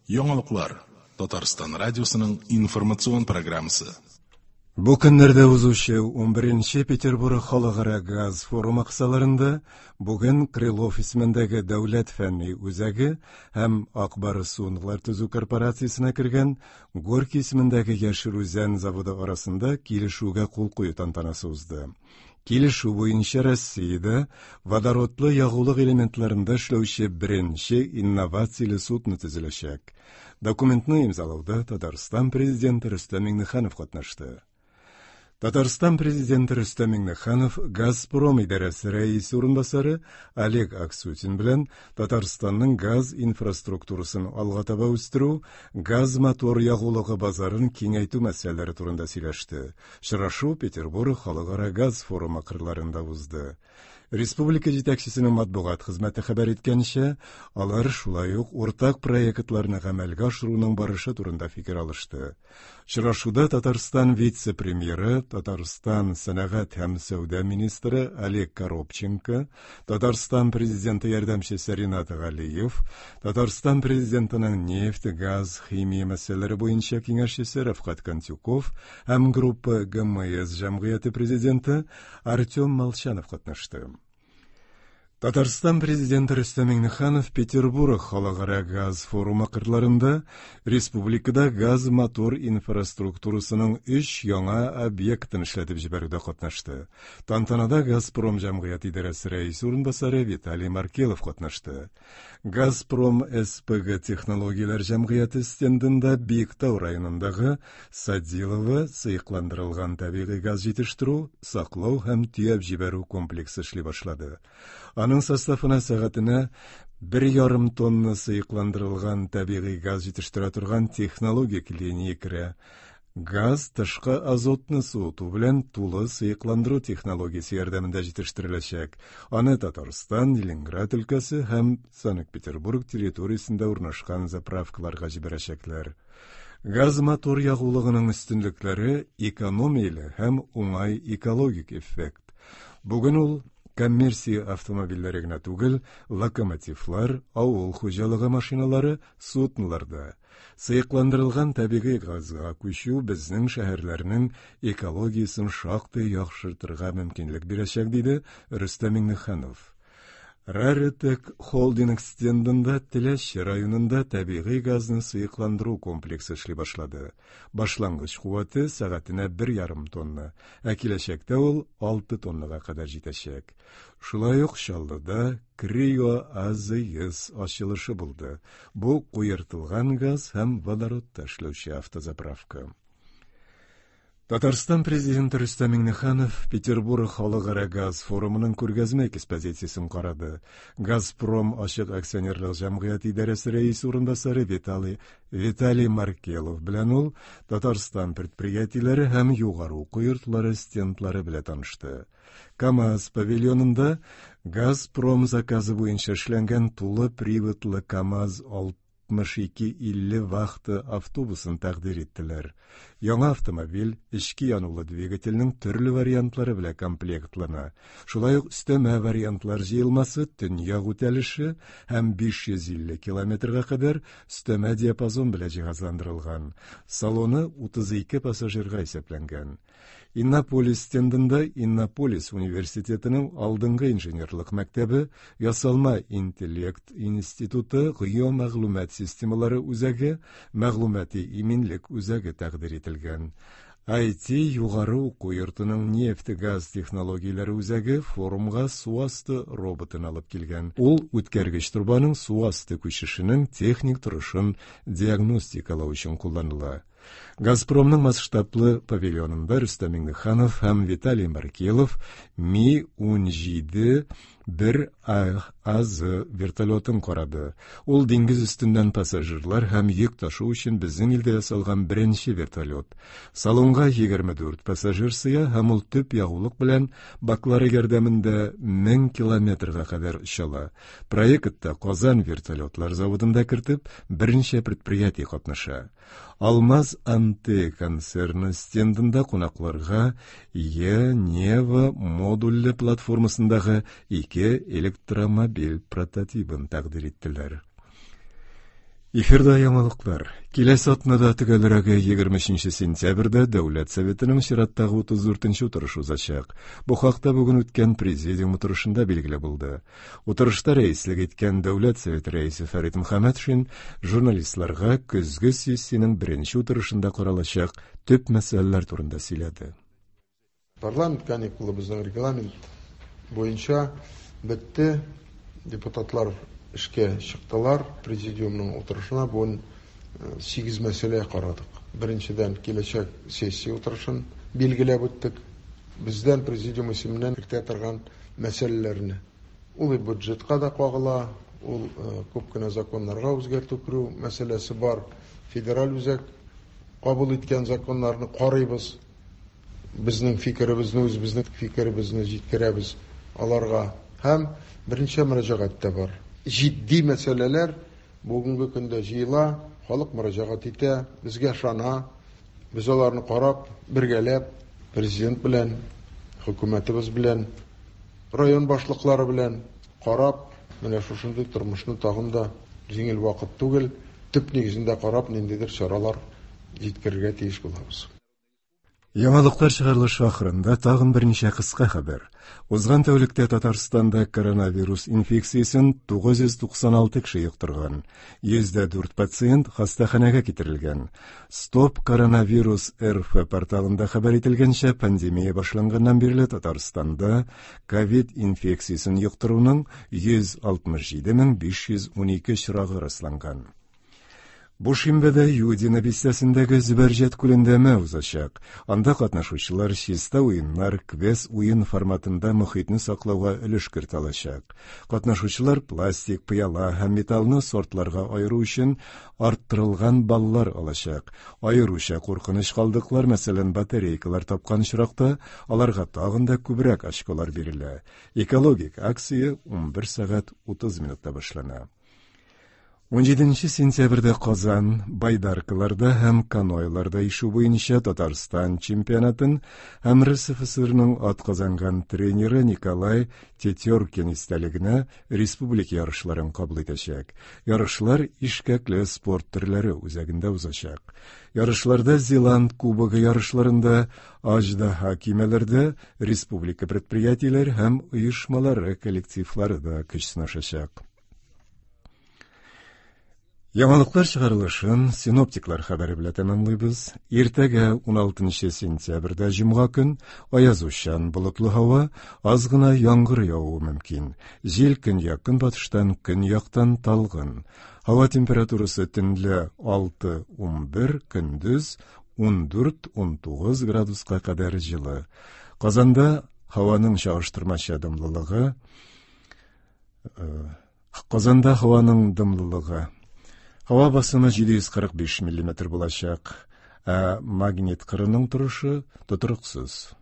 Яңалыклар. Татарстан радиосының информацион программасы. Бу көннәрдә узучы 11нче Петербург халыкара газ форумы кысаларында бүген Крылов исемендәге дәүләт фәнни үзәге һәм Ак Барс суынлар төзү корпорациясенә кергән Горький исемендәге Яшел Үзән заводы арасында килешүгә кул кую тантанасы узды. Килешү буенча Россиядә водородлы ягулык элементларында эшләүче беренче инновацияле судно төзеләчәк. Документны имзалауда Татарстан президенты Рөстәм Миңнеханов катнашты. Татарстан президенты Рөстәм Миңнеханов Газпром идарәсе рәисе урынбасары Олег Аксютин белән Татарстанның газ инфраструктурасын алга таба үстерү, газ-мотор ягулыгы базарын киңәйтү мәсьәләләре турында сөйләште. Очрашу Петербург халыкара газ форумы кырларында узды. Республика җитәкчесенең матбугат хезмәте хәбәр иткәнчә, алар шулай ук уртак проектларны гамәлгә ашыруның барышы турында фикер алышты. Очрашуда Татарстан вице-премьеры, Татарстан сәнәгать һәм сәүдә министры Олег Коробченко, Татарстан президенты ярдәмчесе Ринат Галиев, Татарстан президентының нефть, газ, химия мәсьәләләре буенча киңәшчесе Рәфкать Кантюков һәм группа ГМС җәмгыяте президенты Артем Молчанов катнашты. Татарстан президенты Рөстәм Миңнеханов Петербург халыкара газ форумы кырларында республикада газ-мотор инфраструктурасының өч яңа объектын эшләтеп җибәрүдә катнашты. Тантанада Газпром җәмгыяте идарәсе рәисе урынбасары Виталий Маркелов катнашты. Газпром СПГ технологияләр җәмгыяте стендында Биектау районындагы Садилово сыекландырылган табигый газ җитештерү, саклау һәм төяп җибәрү комплексы эшли башлады. Аның составына сәгатенә 1,5 тонна сыекландырылган табигый газ җитештерә торган технологик линия керә. Газ тышкы азотны суыту белән тулы сыекландыру технологиясе ярдәмендә җитештереләчәк. Аны Татарстан, Ленинград өлкәсе һәм Санкт-Петербург территориясендә урнашкан заправкаларга җибәрәчәкләр. Газ-мотор ягулыгының өстенлекләре экономияле һәм уңай экологик эффект. Бүген ул коммерция автомобильләре генә түгел, локомотивлар, авыл хуҗалыгы машиналары, судноларда. Сыекландырылган табигый газга күчү безнең шәһәрләрнең экологиясен шактый яхшыртырга мөмкинлек бирәчәк, диде Рөстәм Миңнеханов. Раритек холдинг стендында Теләче районында табигый газны сыекландыру комплексы эшли башлады. Башлангыч куәте сәгатенә 1,5 тонна, ә киләчәктә ул 6 тоннага кадәр җитәчәк. Шулай ук Чаллыда Крио АЗС ачылышы булды. Бу куертылган газ һәм водородта эшләүче автозаправка. Татарстан президенты Рөстәм Миңнеханов Петербург халыкара газ форумының күргәзмә экспозициясен карады. Газпром ачык акционерлык җәмгыяте идарәсе рәисе урынбасары Виталий Виталий Маркелов белән ул Татарстан предприятиеләре һәм югары уку йортлары стендлары белән танышты. КАМАЗ павильонында Газпром заказы буенча эшләнгән тулы приводлы КАМАЗ 6250 вахта автобусын тәкъдир иттеләр. Яңа автомобиль эчке янулы двигательнең төрле вариантлары белән комплектлана. Шулай ук өстәмә вариантлар җыелмасы төньяк үтәлеше һәм 550 километрга кадәр өстәмә диапазон белән җиһазландырылган. Салоны 32 пассажирга исәпләнгән. Иннополис стендында Иннополис университетының алдынгы инженерлык мәктәбе, ясалма интеллект институты, геомәгълүмат системалары үзәге, мәгълүмати иминлек үзәге тәкъдир ителгән. IT югары уку йортының нефть-газ технологияләре үзәге форумга су асты роботын алып килгән. Ул үткәргеч торбаның су асты күчешенең техник торышын диагностикалау өчен кулланыла. Газпромның масштаблы павильонында Рөстәм Миңнеханов һәм Виталий Маркелов Ми-17 бер АЗ вертолетын карады. Ул диңгез өстеннән пассажирлар һәм йөк ташу өчен безнең илдә ясалган беренче вертолет. Салонга 24 пассажир сыя һәм ул төп ягулык белән баклары ярдәмендә 1000 километрга кадәр оча ала. Проектта Казан вертолетлар заводында кертеп, берничә предприятие катнаша. Алмаз Анте концерны стендында кунакларга Е-Нева модульле платформасындагы ике электромобиль прототибын тәкъдир иттеләр. Эфирда яңалыклар. Киләсе атнада, төгәлрәге 23 сентябрьдә Дәүләт Советының чираттагы 34 утырышы узачак. Бу хакта бүген үткән президиум утырышында билгеле булды. Утырышта рәислек иткән Дәүләт Советы рәисе Фәрит Мөхәммәтшин журналистларга көзге сессиянең беренче утырышында каралачак төп мәсьәләләр турында сөйләде. Парламент каникулы безнең регламент буенча бетте. Депутатлар эшкә чыктылар. Президиумның утырышына бүген 8 мәсьәлә карадык. Беренчедән, киләчәк сессия утырышын билгеләп үттек. Бездән президиум исеменнән кертә торган мәсьәләләрне. Ул бюджетка да кагыла, ул күп кенә законнарга үзгәртү керү мәсьәләсе бар. Федераль үзәк кабул иткән законнарны карыйбыз. Безнең фикеребезне, үзебезнең фикеребезне җиткерәбез аларга. Һәм берничә мөрәҗәгать тә бар. Җитди мәсьәләләр бүгенге көндә җыела, халык мөрәҗәгать итә, безгә ышана. Без аларны карап, бергәләп, президент белән, хөкүмәтебез белән, район башлыклары белән карап, менә шушындый тормышны тагын да җиңел вакыт түгел, төп нигезендә карап, ниндидер чаралар җиткерергә тиеш булабыз. Яңалыклар чыгарылышы ахырында тагын берничә кыска хәбәр. Узган тәүлектә Татарстанда коронавирус инфекциясен 996 кеше йоктырган. 104 пациент хастаханәгә китерелгән. Стоп коронавирус РФ порталында хәбәр ителгәнчә, пандемия башланганнан бирле Татарстанда ковид инфекциясен йоктыруның 167 512 очрагы расланган. Бу шимбәдә Юдино бистәсендәге Зөбәрҗәт күлендә өмә узачак. Анда катнашучылар чиста уеннар, квест уен форматында мохитне саклауга өлеш кертә алачак. Катнашучылар пластик, пыяла һәм металлны сортларга аеру өчен арттырылган баллар алачак. Аеруча куркыныч калдыклар, мәсәлән, батарейкалар тапкан очракта, аларга тагын да күбрәк очколар бирелә. Экологик акция 11 сәгать 30 минутта башлана. 17 сентябрьдә Казан байдаркаларда һәм каноэларда ишү буенча Татарстан чемпионатын һәм РСФСРның атказанган тренеры Николай Тетеркин истәлегенә республика ярышларын кабул итәчәк. Ярышлар Ишкәкле спорт төрләре үзәгендә узачак. Ярышларда Зеланд кубогы ярышларында Аждаһа көймәләрдә республика предприятиеләре һәм оешмалары коллективлары да көч сынашачак. Яңалыклар чыгарылышын синоптиклар хәбәре белән тәмамлыйбыз. Иртәгә 16 сентябрьдә җомга көн аязучан болытлы һава, аз гына яңгыр явуы мөмкин. Җил көньяк-көнбатыштан, көньяктан талгын. Һава температурасы төнлә 6-11, көндез 14-19 градуска кадәр җылы. Казанда һаваның чагыштырмача дымлылыгы Казанда һаваның дымлылыгы Һава басымы 745 мм булачак, ә магнит кырының торышы тотрыксыз.